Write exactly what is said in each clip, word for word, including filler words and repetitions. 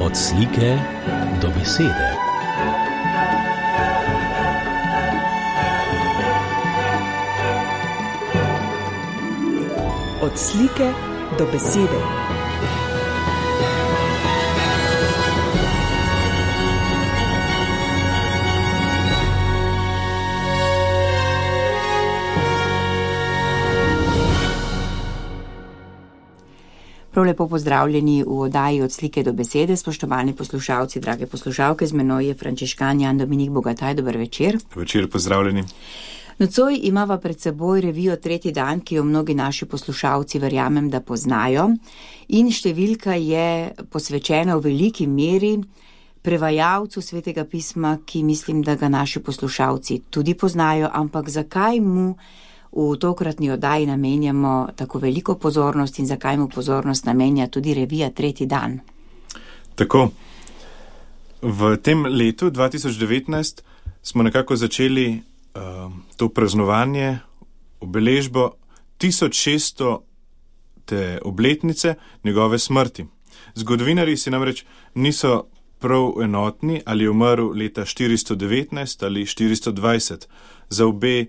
Od slike do besede. Od slike do besede. Prav lepo pozdravljeni v oddaji Od slike do besede, spoštovani poslušalci, drage poslušalke, z menoj je Frančiškan Jan Dominik Bogataj, dober večer. Večer, pozdravljeni. Nocoj imava pred seboj revijo Tretji dan, ki jo mnogi naši poslušalci verjamem, da poznajo, in številka je posvečena v veliki meri prevajalcu Svetega pisma, ki mislim, da ga naši poslušalci tudi poznajo, ampak zakaj mu v tokratni oddaji namenjamo tako veliko pozornost in zakaj mu pozornost namenja tudi revija Tretji dan? Tako, v tem letu dva tisoč devetnajst smo nekako začeli uh, to praznovanje, obeležbo tisoč šeststo te obletnice njegove smrti. Zgodovinarji si namreč niso prav enotni, ali je umrl leta štiristo devetnajst ali štiristo dvajset. Za obe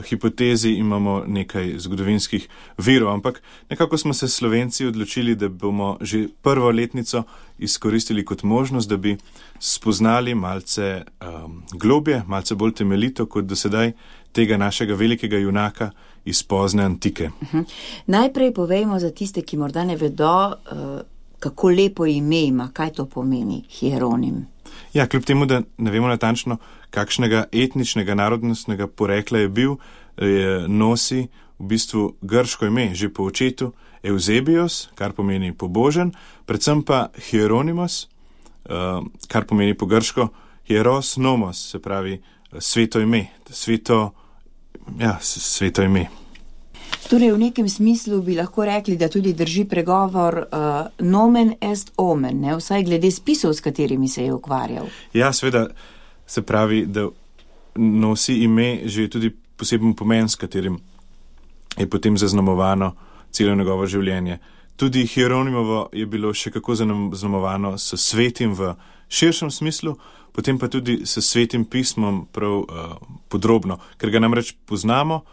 hipotezi imamo nekaj zgodovinskih virov, ampak nekako smo se Slovenci odločili, da bomo že prvo letnico izkoristili kot možnost, da bi spoznali malce um, globje, malce bolj temeljito kot do sedaj tega našega velikega junaka iz pozne antike. Uh-huh. Najprej povejmo za tiste, ki morda ne vedo, uh, kako lepo ime ima, kaj to pomeni Hieronim. Ja, kljub temu, da ne vemo natančno, kakšnega etničnega, narodnostnega porekla je bil, je nosi v bistvu grško ime, že po očetu Eusebios, kar pomeni pobožen, predvsem pa Hieronimos, kar pomeni po grško hieros nomos, se pravi sveto ime, sveto, ja, sveto ime. Torej, v nekem smislu bi lahko rekli, da tudi drži pregovor uh, nomen est omen, ne? Vsaj glede spisov, s katerimi se je ukvarjal. Ja, seveda se pravi, da nosi ime že tudi poseben pomen, s katerim je potem zaznamovano celo njegovo življenje. Tudi Hieronimovo je bilo še kako zaznamovano s svetim v širšem smislu, potem pa tudi s svetim pismom prav uh, podrobno, ker ga namreč poznamo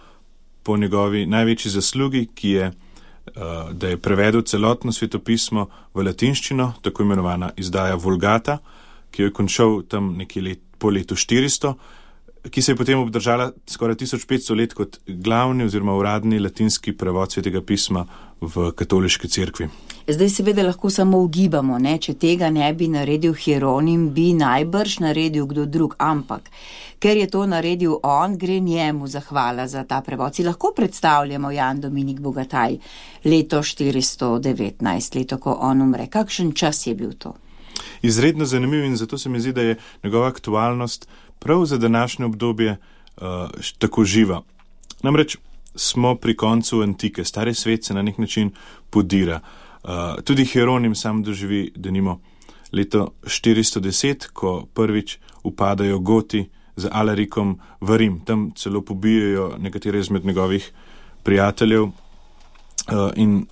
po njegovi največji zaslugi, ki je, uh, da je prevedel celotno svetopismo v latinščino, tako imenovana izdaja Vulgata, ki jo je končal tam nekje let, po letu štiristo, ki se je potem obdržala skoraj tisoč petsto let kot glavni oziroma uradni latinski prevod Svetega pisma v katoliški cerkvi. Zdaj seveda lahko samo ugibamo, ne? Če tega ne bi naredil Hieronim, bi najbrž naredil kdo drug, ampak ker je to naredil on, gre njemu zahvala za ta prevod. Si lahko predstavljamo, Jan Dominik Bogataj, leto štiristo devetnajst, leto, ko on umre. Kakšen čas je bil to? Izredno zanimiv in zato se mi zdi, da je njegova aktualnost prav za današnje obdobje uh, tako živa. Namreč smo pri koncu antike, stari svet se na nek način podira. Uh, tudi Hieronim sam doživi, denimo, leto štiristo deset, ko prvič upadajo Goti z Alarikom v Rim. Tam celo pobijajo nekatere izmed njegovih prijateljev uh, in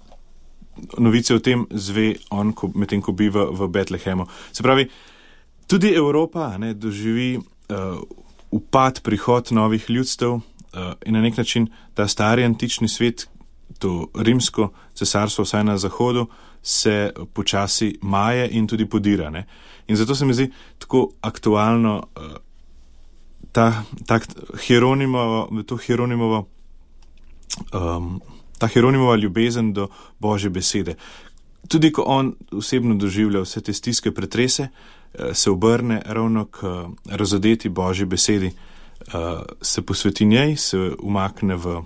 novice o tem zve on, ko, medtem ko biva v Betlehemu. Se pravi, tudi Evropa ne, doživi uh, upad, prihod novih ljudstev uh, in na nek način ta stari antični svet, to rimsko cesarstvo, vsaj na zahodu, se počasi maje in tudi podira. Ne. In zato se mi zdi tako aktualno uh, ta, ta Hieronimovo, to Hieronimovo um, ta Hieronimova ljubezen do Božje besede. Tudi ko on osebno doživlja vse te stiske, pretrese, se obrne ravno k razodeti Božji besedi, se posveti njej, se umakne v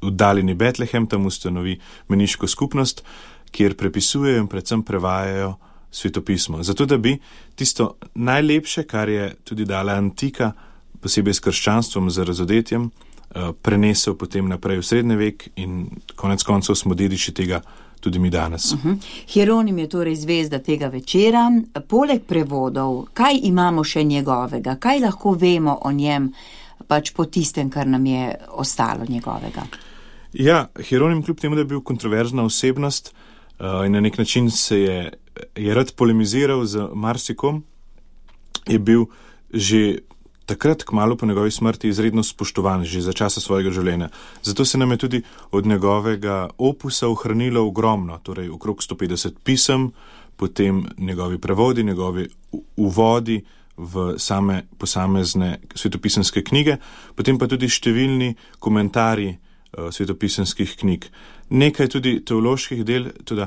oddaljeni Betlehem, tam ustanovi meniško skupnost, kjer prepisujejo in predvsem prevajajo svetopismo. Zato, da bi tisto najlepše, kar je tudi dala antika, posebej s krščanstvom, z razodetjem, prenesel potem naprej v srednji vek in konec koncev smo dediči tega tudi mi danes. Uh-huh. Hieronim je torej zvezda tega večera. Poleg prevodov, kaj imamo še njegovega? Kaj lahko vemo o njem, pač po tistem, kar nam je ostalo njegovega? Ja, Hieronim kljub temu, da je bil kontroverzna osebnost, uh, in na nek način se je, je rad polemiziral z marsikom, je bil že takrat, kmalu po njegovi smrti, izredno spoštovan, že za časa svojega življenja. Zato se nam je tudi od njegovega opusa ohranilo ogromno, torej okrog sto petdeset pisem, potem njegovi prevodi, njegovi uvodi v same posamezne svetopisanske knjige, potem pa tudi številni komentarji uh, svetopisanskih knjig. Nekaj tudi teoloških del, tudi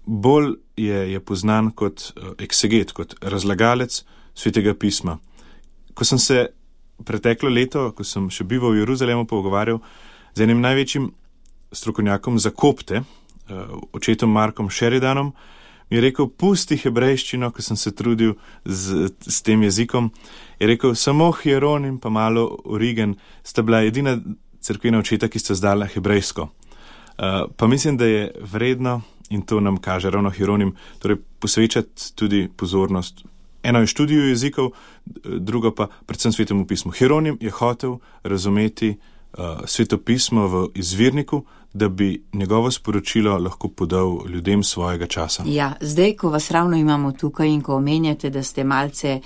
bolj je, je poznan kot uh, ekseget, kot razlagalec svetega pisma. Ko sem se preteklo leto, ko sem še bival v Jeruzalemu, pogovarjal z enim največjim strokovnjakom za kopte, uh, očetom Markom Sheridanom, mi je rekel, pusti hebrejščino, ko sem se trudil z, z tem jezikom, je rekel, samo Hieronim pa malo Origen sta bila edina cerkvena očeta, ki sta zdala hebrejsko. Uh, pa mislim, da je vredno, in to nam kaže ravno Hieronim, torej posvečati tudi pozornost. Eno je študiju jezikov, drugo pa predvsem svetemu pismu. Hieronim je hotel razumeti uh, svetopismo v izvirniku, da bi njegovo sporočilo lahko podal ljudem svojega časa. Ja, zdaj, ko vas ravno imamo tukaj in ko omenjate, da ste malce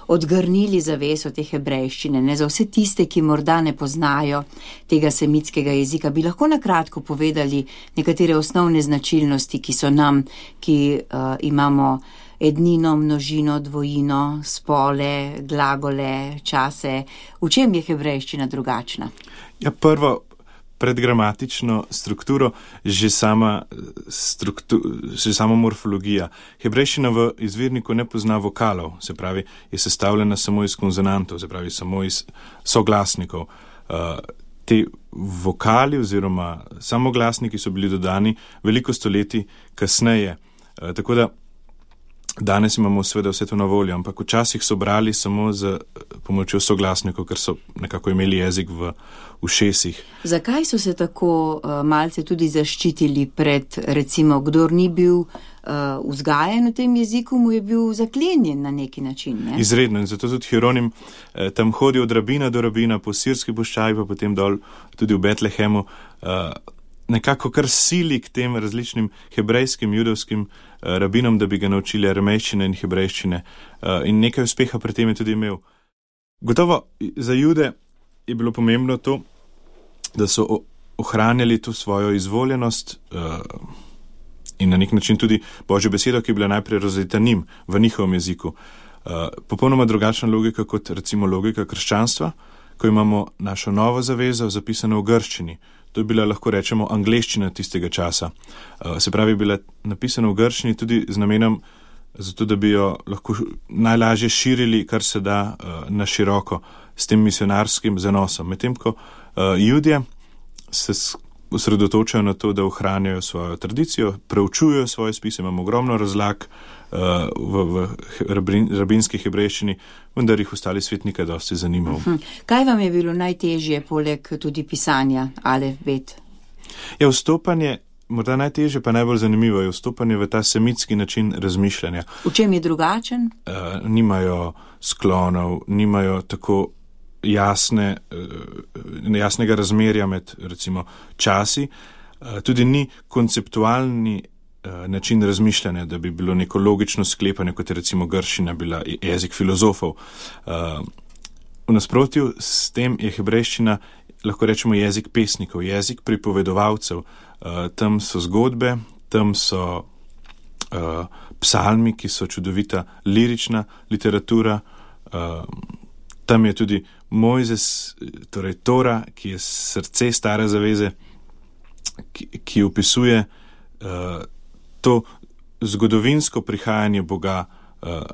odgrnili zaveso te hebrejščine, ne za vse tiste, ki morda ne poznajo tega semitskega jezika, bi lahko nakratko povedali nekatere osnovne značilnosti, ki so nam, ki uh, imamo ednino, množino, dvojino, spole, glagole, čase. V čem je hebrejščina drugačna? Ja, prvo, predgramatično strukturo, že sama, struktu, že sama morfologija. Hebrejščina v izvirniku ne pozna vokalov, se pravi, je sestavljena samo iz konsonantov, se pravi, samo iz soglasnikov. Uh, te vokali oziroma samoglasniki so bili dodani veliko stoletij kasneje. Uh, tako da danes imamo seveda vse to na voljo, ampak včasih so brali samo z pomočjo soglasnikov, ker so nekako imeli jezik v ušesih. Zakaj so se tako uh, malce tudi zaščitili pred, recimo, kdor ni bil uh, vzgajen v tem jeziku, mu je bil zaklenjen na neki način, ne? Izredno, in zato tudi Hieronim eh, tam hodi od rabina do rabina po sirski puščavi, pa potem dol tudi v Betlehemu, uh, nekako kar sili k tem različnim hebrejskim, judovskim uh, rabinom, da bi ga naučili aramejščine in hebrejščine. Uh, in nekaj uspeha pri tem je tudi imel. Gotovo za Jude je bilo pomembno to, da so ohranjali to svojo izvoljenost uh, in na nek način tudi Božjo besedo, ki je bila najprej razlita njim v njihovem jeziku. Uh, popolnoma drugačna logika kot recimo logika krščanstva, ko imamo našo novo zavezo zapisano v grščini. To je bila, lahko rečemo, angleščina tistega časa. Uh, se pravi, bila napisana v grščini tudi z namenom, zato da bi jo lahko najlažje širili, kar se da uh, na široko, s tem misionarskim zanosom. Medtem ko uh, Judje se osredotočajo na to, da ohranjajo svojo tradicijo, preučujejo svoje spise, imamo ogromno razlag uh, v, v rabin, rabinski hebrejščini, vendar jih ostali svet nikaj dosti zanimal. Uh-huh. Kaj vam je bilo najtežje, poleg tudi pisanja, alef, bet? Ja, vstopanje, morda najtežje, pa najbolj zanimivo je vstopanje v ta semitski način razmišljanja. V čem je drugačen? Uh, nimajo sklonov, nimajo tako jasne, jasnega razmerja med, recimo, časi, tudi ni konceptualni način razmišljanja, da bi bilo neko logično sklepanje, kot je recimo grščina bila jezik filozofov. V nasprotju s tem je hebrejščina, lahko rečemo, jezik pesnikov, jezik pripovedovalcev. Tam so zgodbe, tam so psalmi, ki so čudovita lirična literatura, tam je tudi Mojzes, torej Tora, ki je srce stare zaveze, ki, ki opisuje uh, to zgodovinsko prihajanje Boga uh,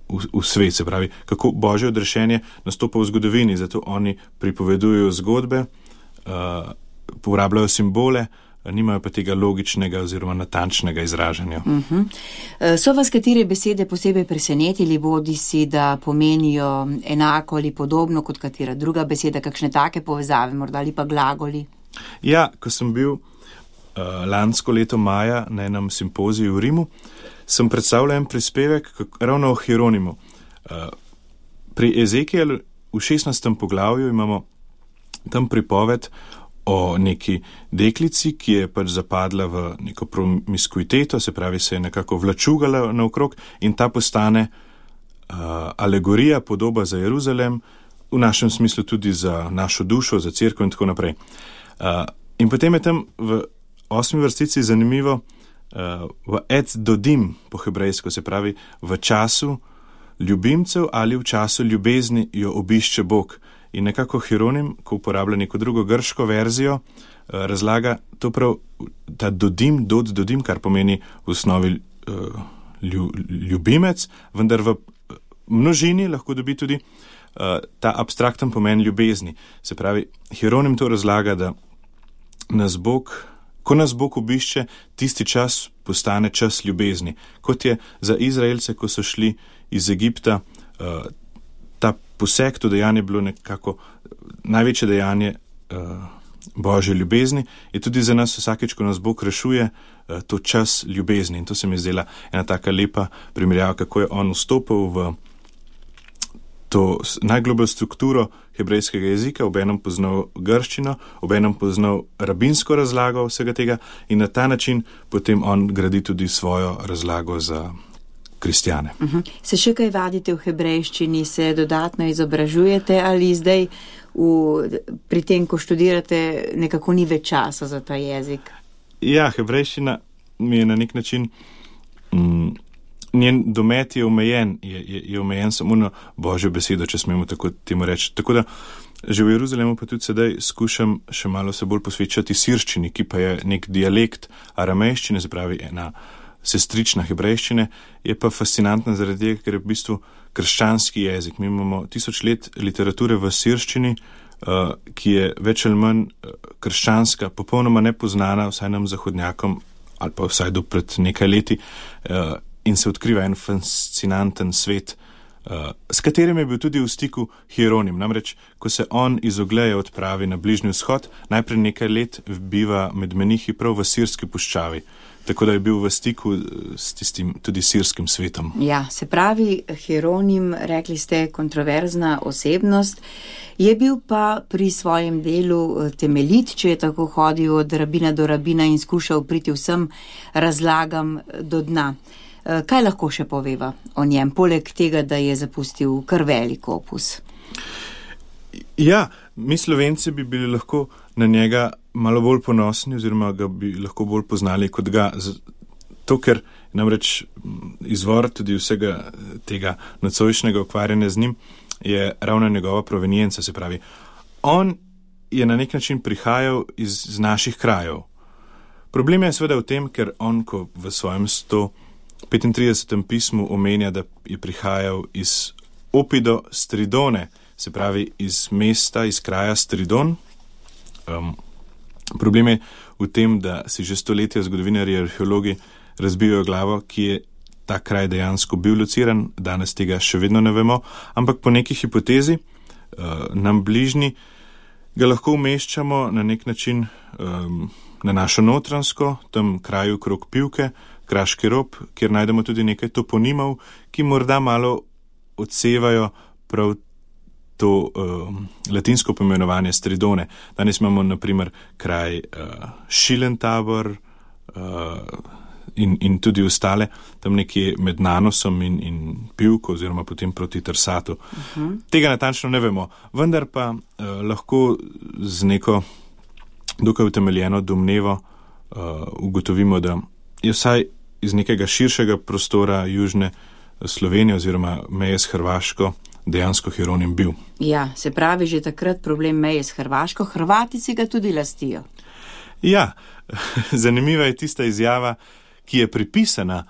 v, v svet, se pravi, kako Božje odrešenje nastopa v zgodovini, zato oni pripovedujejo zgodbe, uh, uporabljajo simbole, nimajo pa tega logičnega oziroma natančnega izražanja. Uh-huh. So vas katere besede posebej presenetili, bodi si, da pomenijo enako ali podobno kot katera druga beseda, kakšne take povezave, morda ali pa glagoli? Ja, ko sem bil uh, lansko leto maja na enem simpoziju v Rimu, sem predstavljal en prispevek ravno o Hieronimu. Uh, pri Ezekielu v šestnajstem poglavju imamo tam pripoved o neki deklici, ki je pač zapadla v neko promiskuiteto, se pravi, se je nekako vlačugala naokrog in ta postane uh, alegorija, podoba za Jeruzalem, v našem smislu tudi za našo dušo, za cerkev in tako naprej. Uh, in potem je tam v osmi vrstici zanimivo uh, v et dodim po hebrejsko, se pravi v času ljubimcev ali v času ljubezni jo obišče Bog. In nekako Hieronim, ko uporablja neko drugo grško verzijo, razlaga to prav ta dodim, dod dodim, kar pomeni v osnovi ljubimec, vendar v množini lahko dobi tudi ta abstrakten pomen ljubezni. Se pravi, Hieronim to razlaga, da nas Bog, ko nas Bog obišče, tisti čas postane čas ljubezni. Kot je za Izraelce, ko so šli iz Egipta, ta poseg, to dejanje bilo nekako največje dejanje uh, Božje ljubezni, je tudi za nas vsakeč, ko nas Bog rešuje, uh, to čas ljubezni. In to se mi je zdela ena taka lepa primerjava, kako je on vstopil v to najglobljo strukturo hebrejskega jezika, obenem poznal grščino, obenem poznal rabinsko razlago vsega tega in na ta način potem on gradi tudi svojo razlago za kristjane. Uh-huh. Se še kaj vadite v hebrejščini, se dodatno izobražujete ali zdaj v, pri tem, ko študirate, nekako ni več časa za ta jezik? Ja, hebrejščina mi je na nek način, mm, njen domet je omejen, je, je, je omejen samo na Božjo besedo, če smemo tako temu reči. Tako da že v Jeruzalemu pa tudi sedaj skušam še malo se bolj posvečati sirščini, ki pa je nek dialekt aramejščine, se pravi ena sestrična hebrejščine, je pa fascinantna zaradi tega, ker je v bistvu krščanski jezik. Mi imamo tisoč let literature v sirščini, uh, ki je več ali manj krščanska, popolnoma nepoznana vsaj nam zahodnjakom, ali pa vsaj do pred nekaj leti, uh, in se odkriva en fascinanten svet, uh, s katerim je bil tudi v stiku Hieronim. Namreč, ko se on iz Ogleja odpravi na Bližnji vzhod, najprej nekaj let biva med menihi prav v sirski puščavi. Tako da je bil v stiku s tistim tudi sirskim svetom. Ja, se pravi, Hieronim, rekli ste, kontroverzna osebnost, je bil pa pri svojem delu temeljit, če je tako hodil od rabina do rabina in skušal priti vsem razlagam do dna. Kaj lahko še poveva o njem, poleg tega, da je zapustil kar velik opus? Ja, mi Slovenci bi bili lahko na njega malo bolj ponosni oziroma ga bi lahko bolj poznali kot ga. To, ker namreč izvor tudi vsega tega nocojšnjega ukvarjanja z njim je ravno njegova provenienca, se pravi. On je na nek način prihajal iz, iz naših krajev. Problem je seveda v tem, ker on, ko v svojem sto petintridesetem pismu omenja, da je prihajal iz Opido Stridone, se pravi iz mesta, iz kraja Stridon. Um, problem je v tem, da si že stoletja zgodovinarji, arheologi razbijajo glavo, ki je ta kraj dejansko bil lociran, danes tega še vedno ne vemo, ampak po neki hipotezi uh, nam bližnji ga lahko umeščamo na nek način um, na našo notransko, tam kraju krog Pivke, Kraški rob, kjer najdemo tudi nekaj toponimov, ki morda malo odsevajo prav to uh, latinsko poimenovanje Stridone. Danes imamo na primer kraj uh, Šilentabor uh, in, in tudi ostale, tam nekje med Nanosom in, in Pivko oziroma potem proti Trsatu. Uh-huh. Tega natančno ne vemo, vendar pa uh, lahko z neko dokaj utemeljeno domnevo uh, ugotovimo, da je vsaj iz nekega širšega prostora južne Slovenije oziroma meje s Hrvaško dejansko Hieronim bil. Ja, se pravi že takrat problem meje s Hrvaško, Hrvati si ga tudi lastijo. Ja, zanimiva je tista izjava, ki je pripisana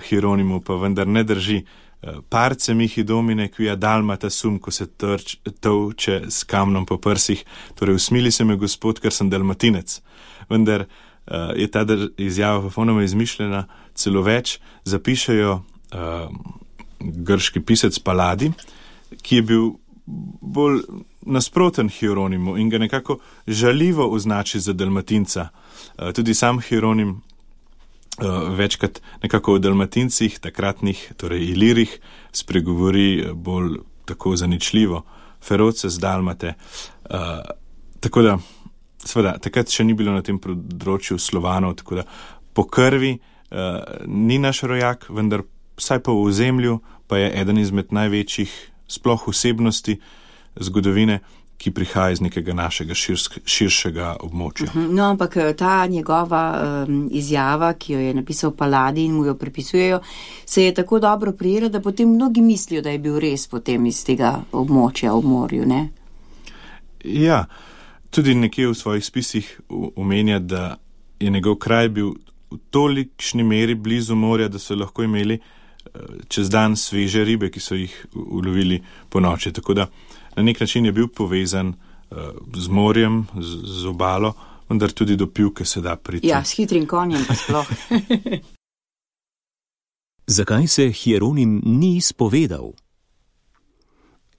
Hieronimu, pa vendar ne drži. Parce mihi domine, quia dalmata sum, ko se trč, tovče s kamnom po prsih, torej usmili se me Gospod, ker sem dalmatinec. Vendar uh, je ta izjava popolnoma izmišljena, celo več zapišejo uh, grški pisec Paladi, ki je bil bolj nasproten Hieronimu in ga nekako žaljivo označi za dalmatinca. Uh, tudi sam Hieronim uh, večkrat nekako o dalmatincih, takratnih, torej ilirih, spregovori bolj tako zaničljivo, feroce z dalmate. Uh, tako da Sveda, takrat še ni bilo na tem področju Slovanov, tako da po krvi uh, ni naš rojak, vendar vsaj pa v ozemlju pa je eden izmed največjih sploh osebnosti zgodovine, ki prihaja iz nekega našega širsk, širšega območja. No, ampak ta njegova um, izjava, ki jo je napisal Paladi in mu jo pripisujejo, se je tako dobro prijela, da potem mnogi mislijo, da je bil res potem iz tega območja v morju, ne? Ja, tudi nekje v svojih spisih omenja, da je njegov kraj bil v tolikšni meri blizu morja, da so lahko imeli čez dan sveže ribe, ki so jih ulovili po noči. Tako da na nek način je bil povezan uh, z morjem, z, z obalo, vendar tudi do pivke se da priti. Ja, s hitrim konjem pa sploh. Zakaj se Hieronim ni izpovedal?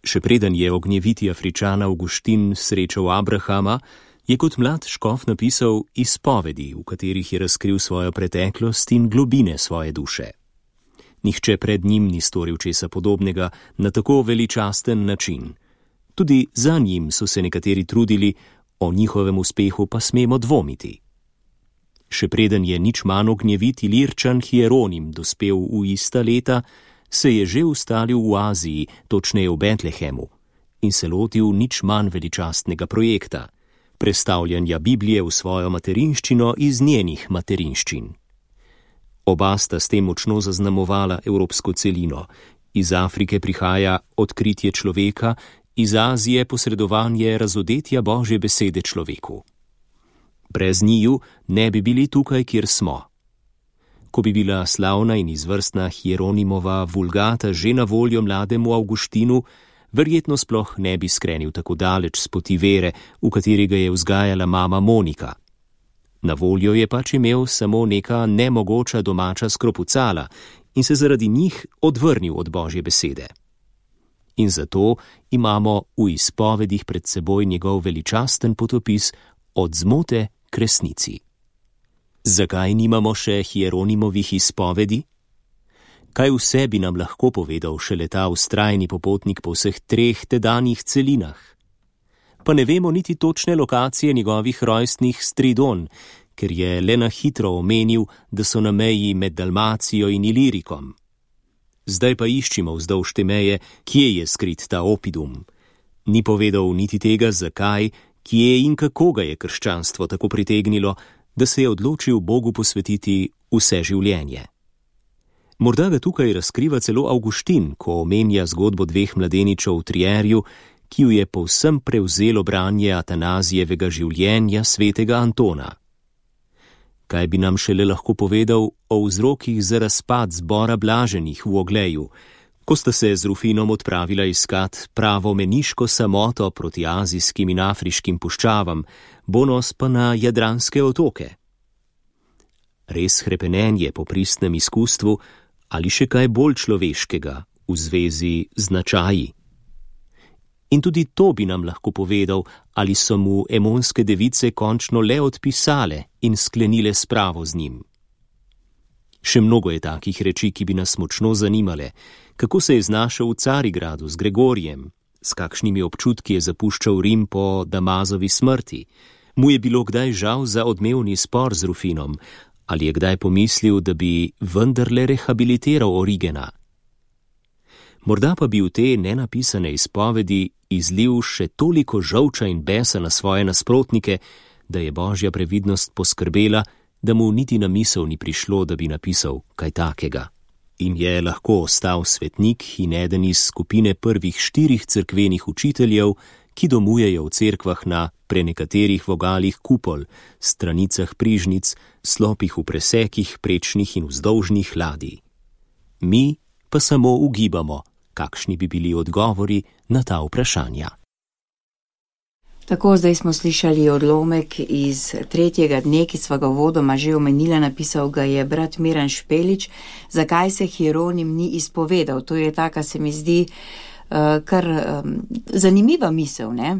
Še preden je ognjeviti Afričan Avguštin srečal Abrahama, je kot mlad škof napisal izpovedi, v katerih je razkril svojo preteklost in globine svoje duše. Nihče pred njim ni storil česa podobnega na tako veličasten način. Tudi za njim so se nekateri trudili, o njihovem uspehu pa smemo dvomiti. Še preden je nič manj ognjeviti Ilirčan Hieronim dospel v ista leta, se je že ustalil v Aziji, točneje v Betlehemu, in se lotil nič manj veličastnega projekta, prestavljanja Biblije v svojo materinščino iz njenih materinščin. Oba sta s tem močno zaznamovala evropsko celino. Iz Afrike prihaja odkritje človeka, iz Azije posredovanje razodetja Božje besede človeku. Brez njiju ne bi bili tukaj, kjer smo. Ko bi bila slavna in izvrstna Hieronimova vulgata že na voljo mlademu Avguštinu, verjetno sploh ne bi skrenil tako daleč s poti vere, v kateri ga je vzgajala mama Monika. Na voljo je pač imel samo neka nemogoča domača skropucala in se zaradi njih odvrnil od Božje besede. In zato imamo v izpovedih pred seboj njegov veličasten potopis od zmote k resnici. Zakaj nimamo še Hieronimovih izpovedi? Kaj vse bi nam lahko povedal šele ta vztrajni popotnik po vseh treh tedanjih celinah? Pa ne vemo niti točne lokacije njegovih rojstnih Stridon, ker je le na hitro omenil, da so na meji med Dalmacijo in Ilirikom. Zdaj pa iščimo vzdolž te meje, kje je skrit ta Opidum. Ni povedal niti tega, zakaj, kje in kako ga je krščanstvo tako pritegnilo, da se je odločil Bogu posvetiti vse življenje. Morda ga tukaj razkriva celo Avguštin, ko omenja zgodbo dveh mladeničev v Trierju, ki ju je povsem prevzelo branje Atanazijevega življenja svetega Antona. Kaj bi nam šele lahko povedal o vzrokih za razpad zbora blaženih v Ogleju, ko sta se z Rufinom odpravila iskat pravo meniško samoto proti azijskim in afriškim puščavam, Bonos pa na Jadranske otoke. Res hrepenenje po pristnem izkustvu ali še kaj bolj človeškega v zvezi z značaji? In tudi to bi nam lahko povedal, ali so mu emonske device končno le odpisale in sklenile spravo z njim. Še mnogo je takih reči, ki bi nas močno zanimale, kako se je znašel v Carigradu z Gregorijem, s kakšnimi občutki je zapuščal Rim po Damazovi smrti, mu je bilo kdaj žal za odmevni spor z Rufinom, ali je kdaj pomislil, da bi vendarle rehabilitiral Origena. Morda pa bi v te nenapisane izpovedi izlil še toliko žolča in besa na svoje nasprotnike, da je Božja previdnost poskrbela, da mu niti na misel ni prišlo, da bi napisal kaj takega. In je lahko ostal svetnik in eden iz skupine prvih štirih cerkvenih učiteljev, ki domujejo v cerkvah na prenekaterih vogalih kupol, stranicah prižnic, slopih v presekih, prečnih in vzdolžnih ladij. Mi pa samo ugibamo, kakšni bi bili odgovori na ta vprašanja. Tako, zdaj smo slišali odlomek iz tretjega dne, ki sva ga vodoma že omenila, napisal ga je brat Miran Špelič. Zakaj se Hieronim ni izpovedal? To je taka, se mi zdi, uh, kar um, zanimiva misel, ne?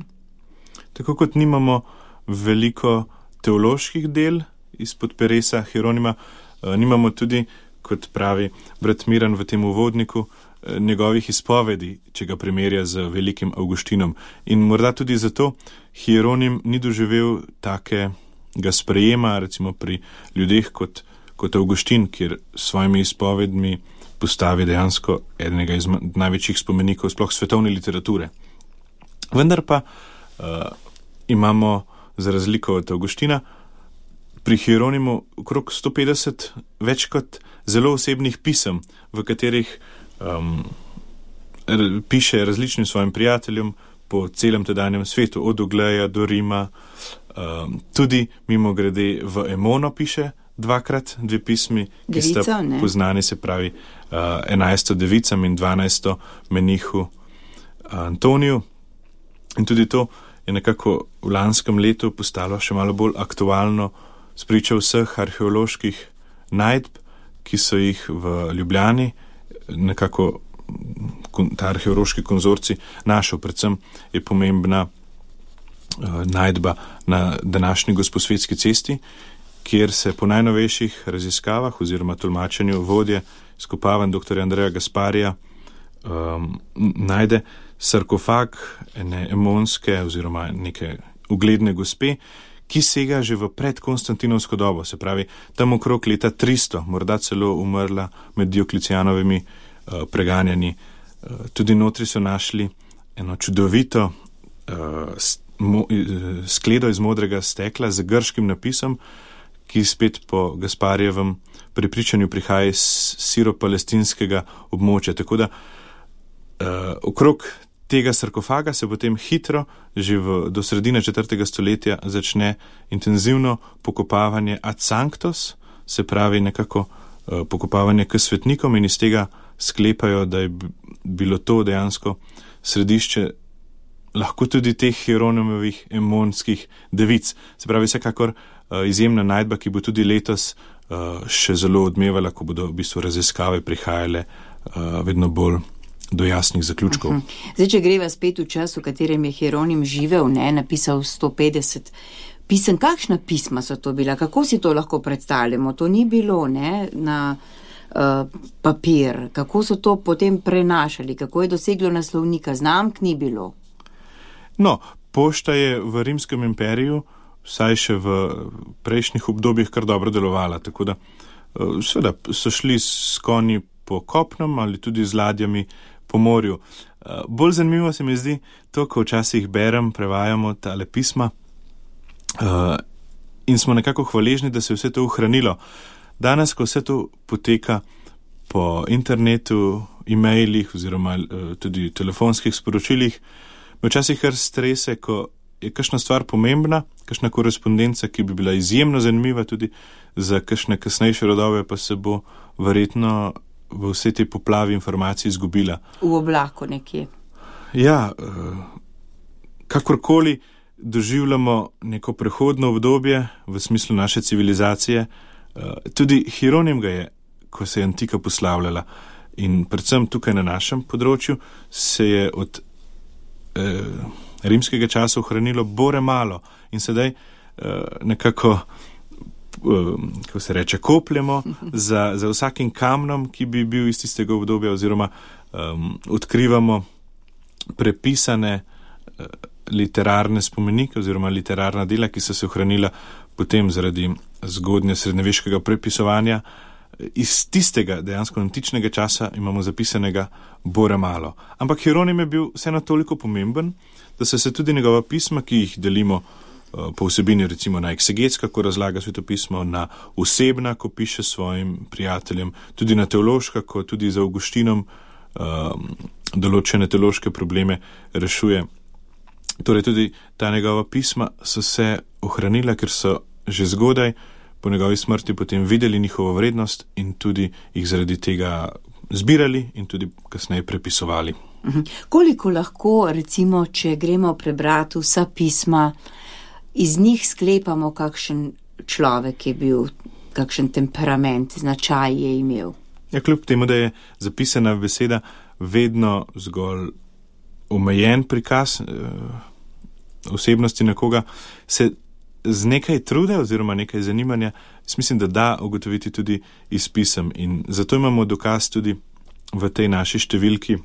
Tako kot nimamo veliko teoloških del izpod peresa Hieronima, uh, nimamo tudi, kot pravi brat Miran v tem uvodniku, njegovih izpovedi, če ga primerja z velikim Avguštinom. In morda tudi zato Hieronim ni doživel takega sprejema, recimo pri ljudeh kot, kot Avguštin, kjer s svojimi izpovedmi postavi dejansko enega iz največjih spomenikov sploh svetovne literature. Vendar pa uh, imamo, za razliko od Avguština, pri Hieronimu okrog sto petdeset več kot zelo osebnih pisem, v katerih um, r- piše različnim svojim prijateljem po celem tedanjem svetu, od Ogleja do Rima. Um, tudi mimo grede v Emono piše dvakrat dve pismi, ki Devico, sta ne? poznani, se pravi uh, enajsto devicam in dvanajsto menihu Antoniju. In tudi to je nekako v lanskem letu postalo še malo bolj aktualno spričo vseh arheoloških najdb, ki so jih v Ljubljani nekako ta arheološki konzorcij našel. Predvsem je pomembna uh, najdba na današnji Gosposvetski cesti, kjer se po najnovejših raziskavah oziroma tolmačenju vodje izkopavanj dr. Andreja Gasparija um, najde sarkofag ene emonske oziroma neke ugledne gospe, ki sega že v predkonstantinovsko dobo, se pravi tam okrog leta tristo, morda celo umrla med Dioklecijanovimi uh, preganjanji. Uh, tudi notri so našli eno čudovito uh, mo, uh, skledo iz modrega stekla z grškim napisom, ki spet po Gasparjevem prepričanju prihaja iz siro-palestinskega območja. Tako da uh, okrog tega sarkofaga se potem hitro, že v, do sredine četrtega stoletja, začne intenzivno pokopavanje ad sanctos, se pravi nekako uh, pokopavanje k svetnikom, in iz tega sklepajo, da je bilo to dejansko središče lahko tudi teh Hieronimovih emonskih devic. Se pravi vsekakor uh, izjemna najdba, ki bo tudi letos uh, še zelo odmevala, ko bodo v bistvu raziskave prihajale uh, vedno bolj do jasnih zaključkov. Uh-huh. Zdaj, če greva spet v čas, v katerem je Hieronim živel, ne, napisal sto petdeset pisem, kakšna pisma so to bila? Kako si to lahko predstavljamo? To ni bilo, ne, na uh, papir. Kako so to potem prenašali? Kako je doseglo naslovnika? Znamk ni bilo. No, pošta je v Rimskem imperiju, vsaj še v prejšnjih obdobjih, kar dobro delovala, tako da uh, seveda so šli s konji po kopnem ali tudi z ladjami po morju. Uh, bolj zanimivo se mi zdi to, ko včasih berem, prevajamo tale pisma uh, in smo nekako hvaležni, da se je vse to ohranilo. Danes, ko vse to poteka po internetu, e-mailih oziroma uh, tudi telefonskih sporočilih, me včasih kar strese, ko je kakšna stvar pomembna, kakšna korespondenca, ki bi bila izjemno zanimiva tudi za kakšne kasnejše rodove, pa se bo verjetno v vse te poplavi informacij izgubila. V oblaku nekje. Ja, kakorkoli doživljamo neko prehodno obdobje v smislu naše civilizacije, tudi Hieronim ga je, ko se je antika poslavljala, in predvsem tukaj na našem področju se je od eh, rimskega časa ohranilo bore malo in sedaj eh, nekako kako se reče, kopljemo za, za vsakim kamnom, ki bi bil iz tistega obdobja, oziroma um, odkrivamo prepisane uh, literarne spomenike oziroma literarna dela, ki so se ohranila potem zaradi zgodnje srednjeveškega prepisovanja. Iz tistega dejansko antičnega časa imamo zapisanega bore malo. Ampak Hieronim je bil vseeno toliko pomemben, da so se tudi njegova pisma, ki jih delimo po vsebini recimo na eksegetska, ko razlaga svetopismo, na osebna, ko piše svojim prijateljem, tudi na teološka, ko tudi za Avguštinom um, določene teološke probleme rešuje. Torej tudi ta njegova pisma so se ohranila, ker so že zgodaj po njegovi smrti potem videli njihovo vrednost in tudi jih zaradi tega zbirali in tudi kasneje prepisovali. Mhm. Koliko lahko, recimo, če gremo prebrati vsa pisma, iz njih sklepamo, kakšen človek je bil, kakšen temperament, značaj je imel? Ja, kljub temu, da je zapisana beseda vedno zgolj omejen prikaz eh, osebnosti nekoga, se z nekaj truda oziroma nekaj zanimanja, mislim, da da ugotoviti tudi iz pisem. In zato imamo dokaz tudi v tej naši številki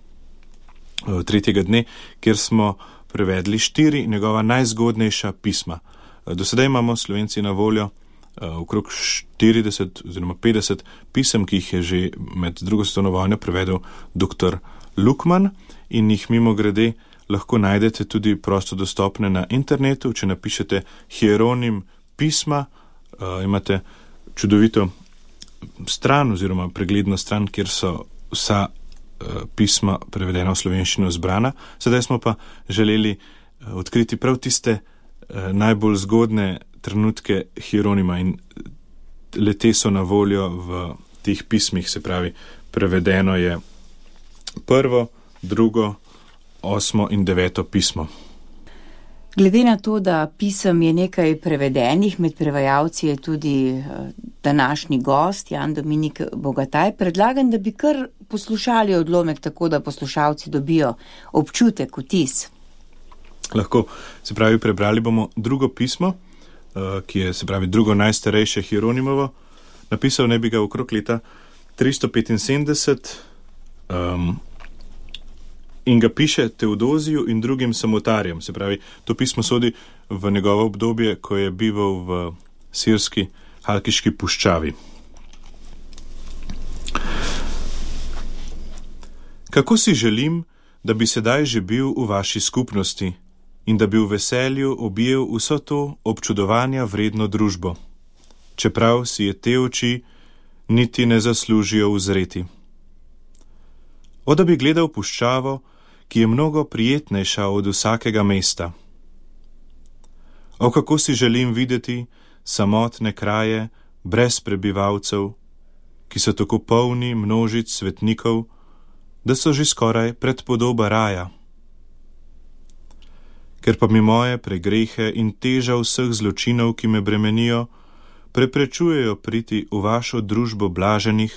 tretjega dne, kjer smo prevedli štiri njegova najzgodnejša pisma. Do sedaj imamo Slovenci na voljo okrog štirideset oziroma petdeset pisem, ki jih je že med drugo svetovno vojno prevedel doktor Lukman in jih mimogrede lahko najdete tudi prosto dostopne na internetu. Če napišete Hieronim pisma, uh, imate čudovito stran oziroma pregledno stran, kjer so vsa uh, pisma prevedena v slovenščino zbrana. Sedaj smo pa želeli uh, odkriti prav tiste uh, najbolj zgodne trenutke Hieronima in le-te so na voljo v teh pismih, se pravi, prevedeno je prvo, drugo, osmo in deveto pismo. Glede na to, da pisem je nekaj prevedenih, med prevajalci je tudi današnji gost, Jan Dominik Bogataj, predlagam, da bi kar poslušali odlomek, tako da poslušalci dobijo občutek, vtis. Lahko, se pravi, prebrali bomo drugo pismo, ki je, se pravi, drugo najstarejše Hieronimovo. Napisal ne bi ga okrog leta tristo petinsedemdeset um, in ga piše Teodoziju in drugim samotarjem. Se pravi, to pismo sodi v njegovo obdobje, ko je bival v sirski Halkiški puščavi. Kako si želim, da bi sedaj že bil v vaši skupnosti in da bi v veselju objel vso to občudovanja vredno družbo, čeprav si je te oči niti ne zaslužijo uzreti. O da bi gledal puščavo, ki je mnogo prijetnejša od vsakega mesta. O kako si želim videti samotne kraje brez prebivalcev, ki so tako polni množic svetnikov, da so že skoraj predpodoba raja. Ker pa mi moje pregrehe in teža vseh zločinov, ki me bremenijo, preprečujejo priti v vašo družbo blaženih,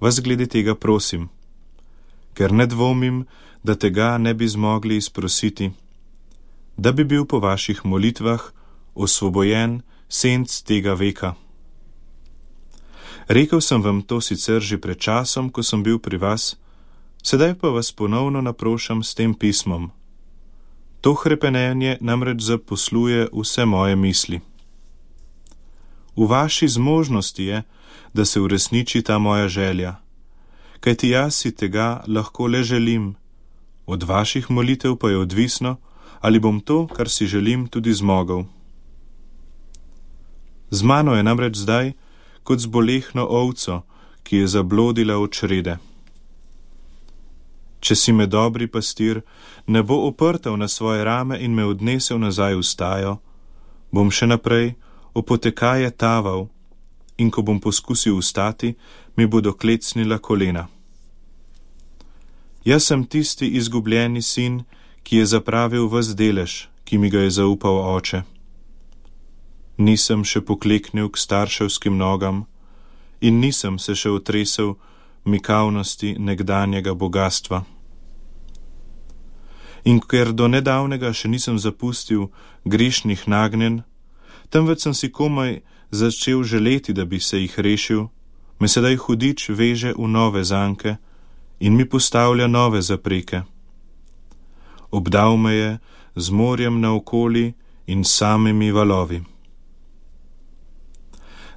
vas glede tega prosim, ker ne dvomim, da tega ne bi zmogli izprositi, da bi bil po vaših molitvah osvobojen senc tega veka. Rekel sem vam to sicer že pred časom, ko sem bil pri vas, sedaj pa vas ponovno naprošam s tem pismom. To hrepenenje namreč zaposluje vse moje misli. V vaši zmožnosti je, da se uresniči ta moja želja, kajti jaz si tega lahko le želim, od vaših molitev pa je odvisno, ali bom to, kar si želim, tudi zmogel. Z mano je namreč zdaj kot z bolehno ovco, ki je zablodila od črede. Če si me dobri pastir ne bo oprtal na svoje rame in me odnesel nazaj v stajo, bom še naprej opotekaje taval in ko bom poskusil vstati, mi bodo klecnila kolena. Jaz sem tisti izgubljeni sin, ki je zapravil ves delež, ki mi ga je zaupal oče. Nisem še pokleknil k starševskim nogam in nisem se še otresel mikavnosti nekdanjega bogatstva. In ker do nedavnega še nisem zapustil grešnih nagnjen, temveč sem si komaj začel želeti, da bi se jih rešil, me sedaj hudič veže v nove zanke in mi postavlja nove zapreke. Obdal me je z morjem naokoli in samimi valovi.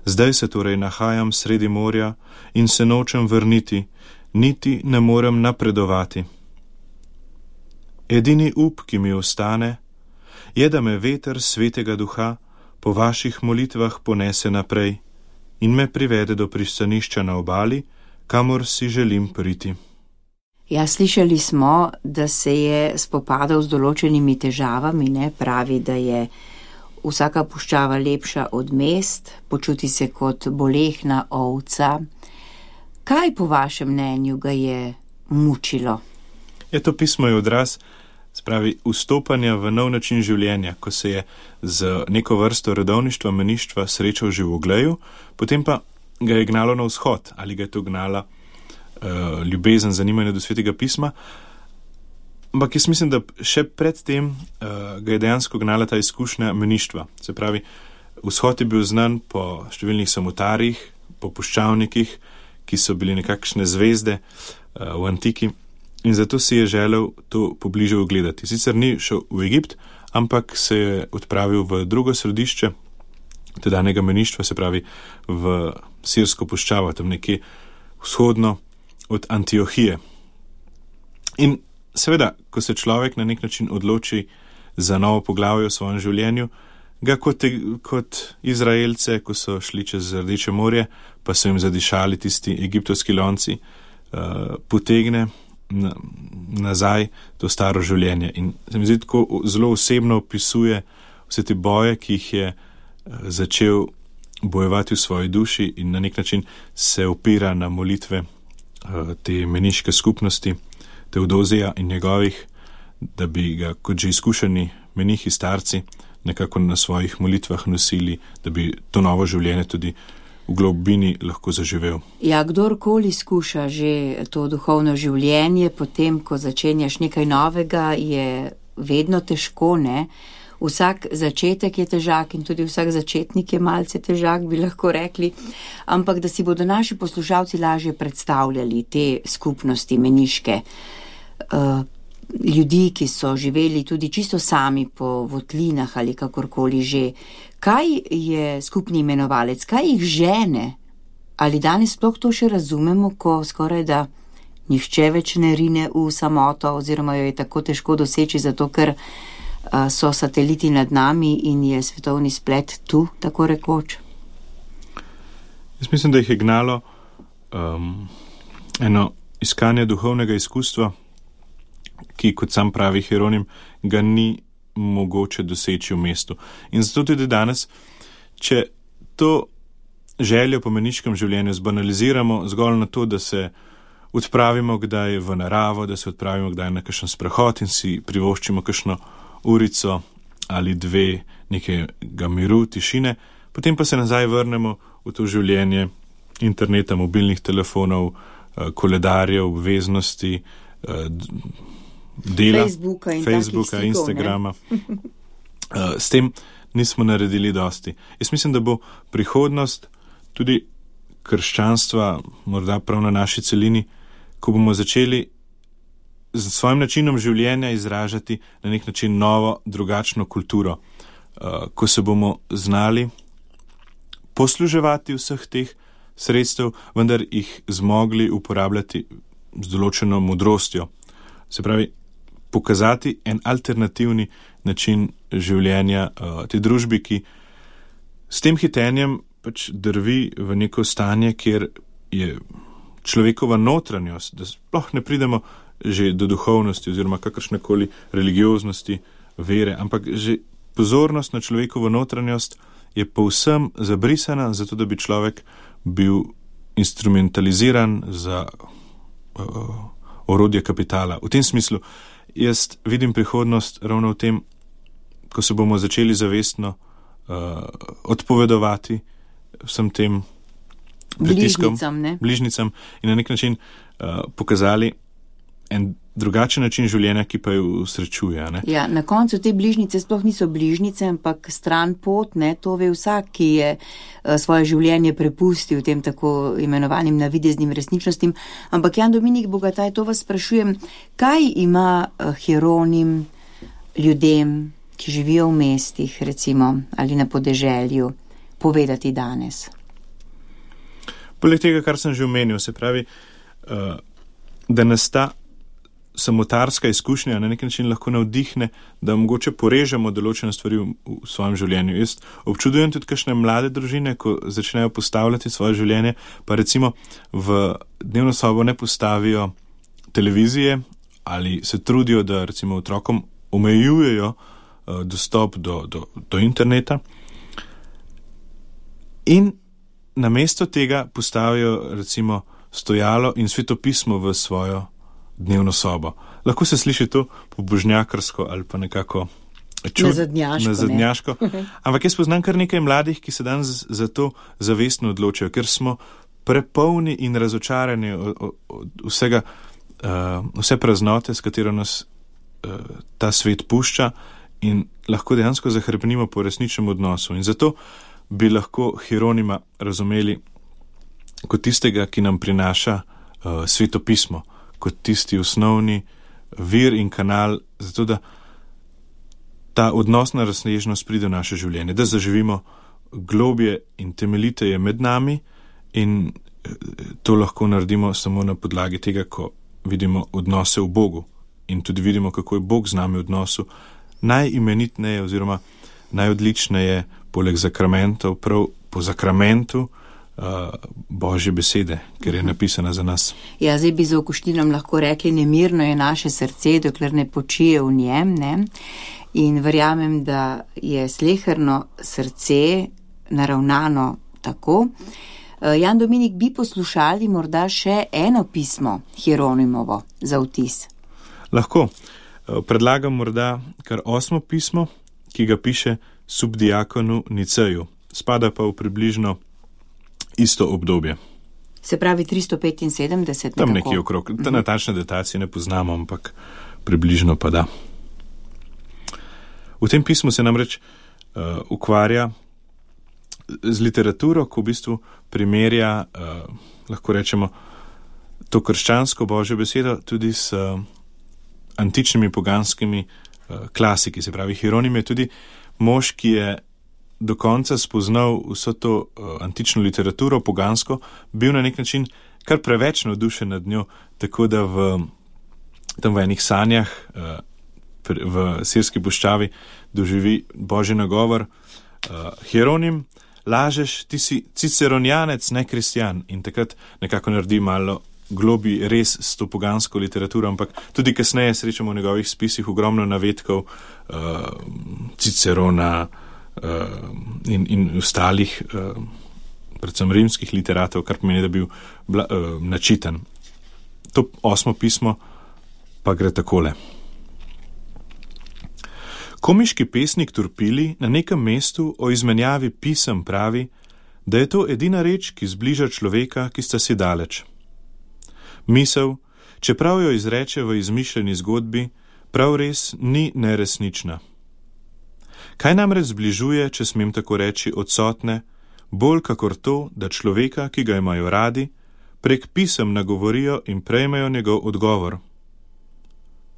Zdaj se torej nahajam sredi morja in se nočem vrniti, niti ne morem napredovati. Edini up, ki mi ostane, je, da me veter svetega duha po vaših molitvah ponese naprej in me privede do pristanišča na obali, kamor si želim priti. Ja, slišali smo, da se je spopadal z določenimi težavami, ne pravi, da je vsaka puščava lepša od mest, počuti se kot bolehna ovca. Kaj po vašem mnenju ga je mučilo? Je to pismo je odraz, spravi, vstopanja v nov način življenja, ko se je z neko vrsto redovništva, meništva srečal že v Ogleju, potem pa ga je gnalo na vzhod, ali ga je to gnala uh, ljubezen, zanimanje do svetega pisma. Ampak jaz mislim, da še predtem uh, ga je dejansko gnala ta izkušnja meništva. Se pravi, vzhod je bil znan po številnih samotarjih, po puščavnikih, ki so bili nekakšne zvezde uh, v antiki in zato si je želel to pobliže ogledati. Sicer ni šel v Egipt, ampak se je odpravil v drugo središče tedanjega meništva, se pravi v Sirsko puščavo, tam nekje vzhodno od Antiohije. In seveda, ko se človek na nek način odloči za novo poglavje v svojem življenju, ga kot, kot Izraelce, ko so šli čez Rdeče morje, pa so jim zadišali tisti egiptovski lonci, uh, potegne na, nazaj to staro življenje. In se mi zdi, tako zelo osebno opisuje vse te boje, ki jih je uh, začel bojevati v svoji duši in na nek način se opira na molitve uh, te meniške skupnosti, Teodozija in njegovih, da bi ga kot že izkušeni menihi starci nekako na svojih molitvah nosili, da bi to novo življenje tudi v globini lahko zaživel. Ja, kdorkoli skuša že to duhovno življenje, potem, ko začenjaš nekaj novega, je vedno težko, ne? Vsak začetek je težak in tudi vsak začetnik je malce težak, bi lahko rekli, ampak da si bodo naši poslušalci lažje predstavljali te skupnosti meniške, uh, ljudi, ki so živeli tudi čisto sami po votlinah ali kakorkoli že. Kaj je skupni imenovalec? Kaj jih žene? Ali danes sploh to še razumemo, ko skoraj da nihče več ne rine v samoto oziroma jo je tako težko doseči, zato ker uh, so sateliti nad nami in je svetovni splet tu, tako rekoč? Jaz mislim, da jih je gnalo um, eno iskanje duhovnega izkustva, ki, kot sam pravi Hieronim, ga ni mogoče doseči v mestu. In zato tudi danes, če to željo po meniškem življenju zbanaliziramo zgolj na to, da se odpravimo kdaj v naravo, da se odpravimo kdaj na kakšen sprehod in si privoščimo kakšno urico ali dve nekega miru, tišine, potem pa se nazaj vrnemo v to življenje interneta, mobilnih telefonov, koledarjev, obveznosti, dela, Facebooka, in Facebooka stikov, Instagrama. S tem nismo naredili dosti. Jaz mislim, da bo prihodnost tudi krščanstva, morda prav na naši celini, ko bomo začeli z svojim načinom življenja izražati na nek način novo, drugačno kulturo, ko se bomo znali posluževati vseh teh sredstev, vendar jih zmogli uporabljati z določeno modrostjo. Se pravi, pokazati en alternativni način življenja uh, te družbi, ki s tem hitenjem pač drvi v neko stanje, kjer je človekova notranjost, da sploh ne pridemo že do duhovnosti oziroma kakršnekoli religioznosti, vere, ampak že pozornost na človekovo notranjost je povsem zabrisana, zato da bi človek bil instrumentaliziran za uh, orodje kapitala. V tem smislu jaz vidim prihodnost ravno v tem, ko se bomo začeli zavestno uh, odpovedovati vsem tem pritiskom, bližnicam, ne? bližnicam in na nek način uh, pokazali en drugačen način življenja, ki pa jo usrečuje. Ne? Ja, na koncu te bližnice sploh niso bližnice, ampak stran pot, ne, to ve vsak, ki je uh, svoje življenje prepustil tem tako imenovanim navideznim resničnostim. Ampak Jan Dominik Bogataj, to vas sprašujem, kaj ima uh, Hieronim ljudem, ki živijo v mestih, recimo, ali na podeželju, povedati danes? Poleg tega, kar sem že omenil, se pravi, uh, da nas ta samotarska izkušnja na nek način lahko navdihne, da mogoče porežemo določene stvari v, v svojem življenju. Jaz občudujem tudi kakšne mlade družine, ko začnejo postavljati svoje življenje, pa recimo v dnevno sobo ne postavijo televizije ali se trudijo, da recimo otrokom omejujejo uh, dostop do, do, do interneta in namesto tega postavijo recimo stojalo in svetopismo v svojo dnevno sobo. Lahko se sliši to pobožnjakarsko ali pa nekako čud, nazadnjaško, nazadnjaško. Ne? Ampak jaz poznam kar nekaj mladih, ki se danes za to zavestno odločajo, ker smo prepolni in razočarani od, od vsega, uh, vse praznote, s katero nas uh, ta svet pušča in lahko dejansko zahrbnimo po resničnem odnosu. In zato bi lahko Hieronima razumeli kot tistega, ki nam prinaša uh, svetopismo, kot tisti osnovni vir in kanal, zato da ta odnosna razsežnost pride v naše življenje, da zaživimo globje in temeljiteje med nami, in to lahko naredimo samo na podlagi tega, ko vidimo odnose v Bogu in tudi vidimo, kako je Bog z nami v odnosu. Najimenitneje oziroma najodličneje poleg zakramentov, prav po zakramentu uh, Božje besede, ker je napisana za nas. Ja, zdaj bi z Avguštinom lahko rekli, nemirno je naše srce, dokler ne počije v njem, ne? In verjamem, da je sleherno srce naravnano tako. Jan Dominik, bi poslušali morda še eno pismo Hieronimovo za vtis? Lahko. Predlagam morda kar osmo pismo, ki ga piše subdiakonu Niceju. Spada pa v približno isto obdobje. Se pravi tristo petinsedemdeset? Tam nekje okrog. Ta natančne datacije ne poznamo, ampak približno pa da. V tem pismu se namreč uh, ukvarja z literaturo, ko v bistvu primerja, uh, lahko rečemo, to krščansko Božjo besedo tudi s uh, antičnimi poganskimi uh, klasiki. Se pravi, Hieronim je tudi mož, ki je do konca spoznal vso to uh, antično literaturo, pogansko, bil na nek način kar preveč navdušen nad njo, tako da v, tam v enih sanjah uh, v Sirski puščavi doživi Božji nagovor. Uh, Hieronim, lažeš, ti si ciceronjanec, ne kristjan. In takrat nekako naredi malo globi res s to pogansko literaturo, ampak tudi kasneje srečamo v njegovih spisih ogromno navedkov uh, Cicerona uh, in, in ostalih, uh, predvsem rimskih literatov, kar pomeni, da bil bla, uh, načitan. To osmo pismo pa gre takole. Komiški pesnik Turpili na nekem mestu o izmenjavi pisem pravi, da je to edina reč, ki zbliža človeka, ki sta si daleč. Misel, čeprav jo izreče v izmišljeni zgodbi, prav res ni neresnična. Kaj namreč zbližuje, če smem tako reči, odsotne, bolj kakor to, da človeka, ki ga imajo radi, prek pisem nagovorijo in prejmejo njegov odgovor.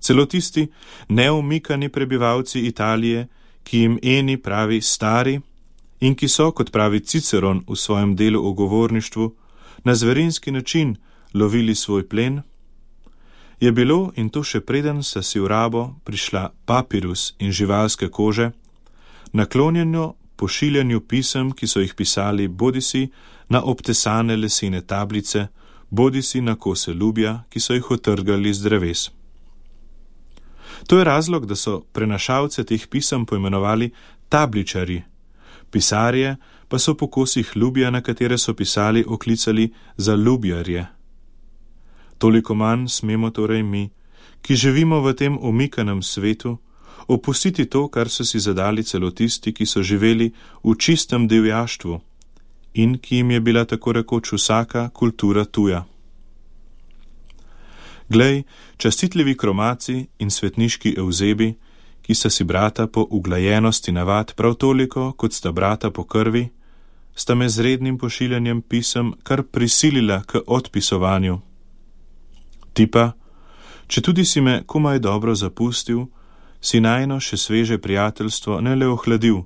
Celo tisti neumikani prebivalci Italije, ki jim eni pravi stari in ki so, kot pravi Ciceron v svojem delu o govorništvu, na zverinski način lovili svoj plen, je bilo, in to še preden sta si v rabo prišla papirus in živalske kože, naklonjeno pošiljanju pisem, ki so jih pisali bodisi na obtesane lesene tablice, bodisi na kose lubja, ki so jih otrgali z dreves. To je razlog, da so prenašalce teh pisem poimenovali tabličari, pisarje pa so po kosih lubja, na katere so pisali, oklicali za lubjarje. Toliko manj smemo torej mi, ki živimo v tem omikanem svetu, opustiti to, kar so si zadali celo tisti, ki so živeli v čistem divjaštvu in ki jim je bila tako rekoč vsaka kultura tuja. Glej, častitljivi kromaci in svetniški evzebi, ki sta si brata po uglajenosti navad prav toliko, kot sta brata po krvi, sta me z rednim pošiljanjem pisem kar prisilila k odpisovanju. Ti pa, če tudi si me komaj dobro zapustil, si najno še sveže prijateljstvo ne le ohladil,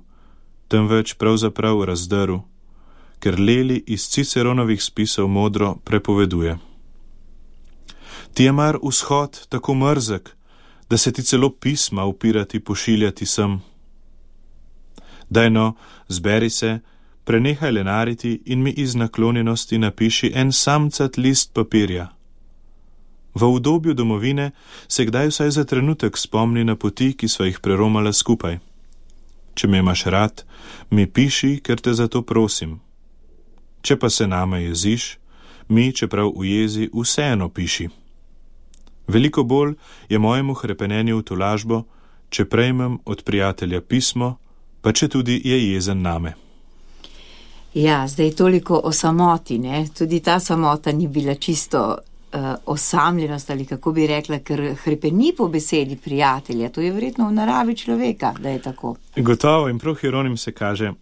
temveč pravzaprav razdrl, ker Leli iz Ciceronovih spisov modro prepoveduje. Ti je mar vzhod tako mrzek, da se ti celo pisma upirati pošiljati sem. Daj no, zberi se, prenehaj lenariti in mi iz naklonjenosti napiši en samcat list papirja. V udobju domovine se kdaj vsaj za trenutek spomni na poti, ki sva jih preromala skupaj. Če me imaš rad, mi piši, ker te za to prosim. Če pa se name jeziš, mi, čeprav v jezi, vseeno piši. Veliko bolj je mojemu hrepenenju v tolažbo, če prejmem od prijatelja pismo, pa če tudi je jezen name. Ja, zdaj toliko o samoti, ne? Tudi ta samota ni bila čisto uh, osamljenost ali kako bi rekla, ker hrepeni po besedi prijatelja. To je verjetno v naravi človeka, da je tako. Gotovo, in prav Hieronim se kaže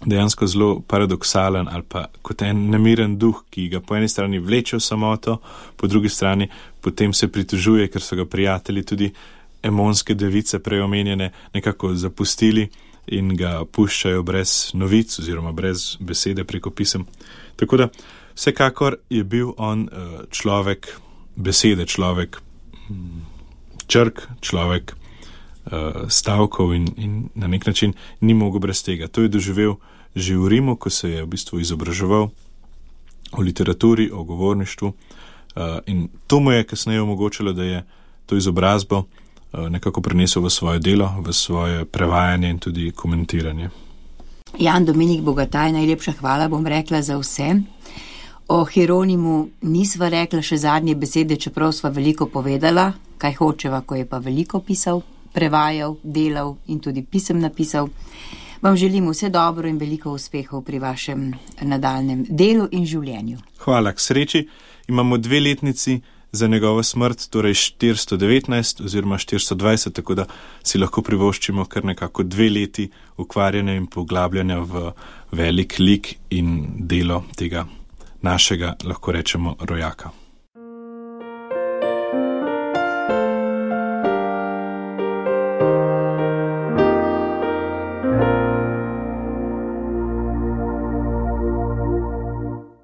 dejansko zelo paradoksalen ali pa kot en nemiren duh, ki ga po eni strani vleče v samoto, po drugi strani potem se pritožuje, ker so ga prijatelji, tudi emonske device preomenjene, nekako zapustili in ga puščajo brez novic oziroma brez besede preko pisem. Tako da vsekakor je bil on človek besede, človek črk, človek stavkov in, in na nek način ni mogel brez tega. To je doživel že v Rimu, ko se je v bistvu izobraževal o literaturi, o govorništvu in to mu je kasneje omogočilo, da je to izobrazbo nekako prenesel v svoje delo, v svoje prevajanje in tudi komentiranje. Jan Dominik Bogataj, najlepša hvala, bom rekla, za vse. O Hieronimu nisva rekla še zadnje besede, čeprav sva veliko povedala, kaj hočeva, ko je pa veliko pisal, prevajal, delal in tudi pisem napisal. Vam želim vse dobro in veliko uspehov pri vašem nadaljnem delu in življenju. Hvala, k sreči. Imamo dve letnici za njegovo smrt, torej štiristo devetnajst oziroma štiristo dvajset, tako da si lahko privoščimo kar nekako dve leti ukvarjanja in poglabljanja v velik lik in delo tega našega, lahko rečemo, rojaka.